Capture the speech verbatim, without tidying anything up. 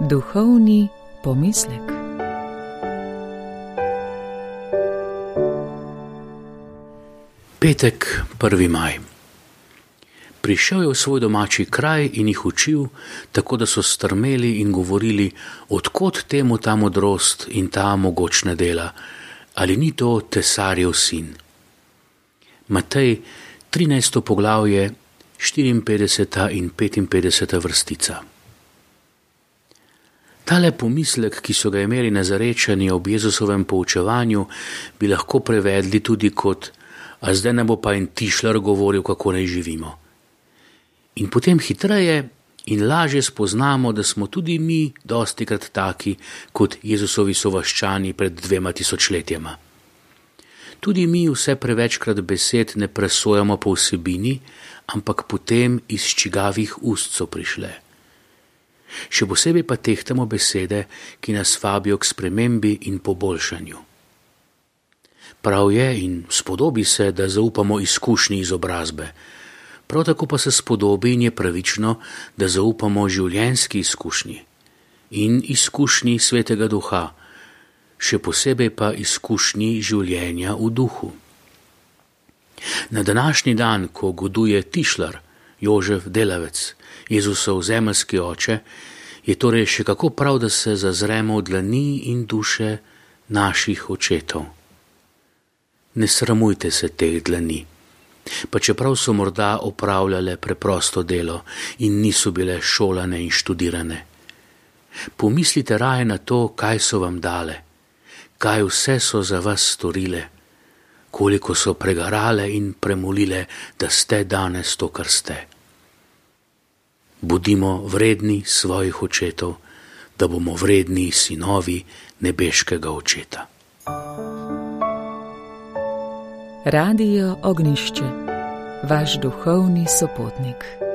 Duhovni pomislek. Petek, prvi maj. Prišel je v svoj domači kraj in jih učil, tako da so strmeli in govorili, odkot temu ta modrost in ta mogočna dela, ali ni to tesarjev sin. Matej, trinajsto poglavje, štiriinpetdeseta in petinpetdeseta vrstica. Tale pomislek, ki so ga imeli Nazarečani ob Jezusovem poučevanju, bi lahko prevedli tudi kot: a zdaj ne bo pa en tišlar govoril, kako naj živimo. In potem hitreje in lažje spoznamo, da smo tudi mi dostikrat taki, kot Jezusovi sovaščani pred dvema tisočletjema. Tudi mi vse prevečkrat besed ne presojamo po vsebini, ampak potem iz čigavih ust so prišle. Še posebej pa tehtamo besede, ki nas vabijo k spremembi in poboljšanju. Prav je in spodobi se, da zaupamo izkušnji izobrazbe. Prav tako pa se spodobi in je pravično, da zaupamo življenjski izkušnji in izkušnji Svetega Duha, še posebej pa izkušnji življenja v duhu. Na današnji dan, ko goduje tišlar, Jožef delavec, Jezusov zemeljski oče, je torej še kako prav, da se zazremo v dlani in duše naših očetov. Ne sramujte se teh dlani, pa čeprav so morda opravljale preprosto delo in niso bile šolane in študirane. Pomislite raje na to, kaj so vam dale, kaj vse so za vas storile, koliko so pregarale in premolile, da ste danes to, kar ste. Bodimo vredni svojih očetov, da bomo vredni sinovi nebeškega očeta. Radio Ognjišče, vaš duhovni sopotnik.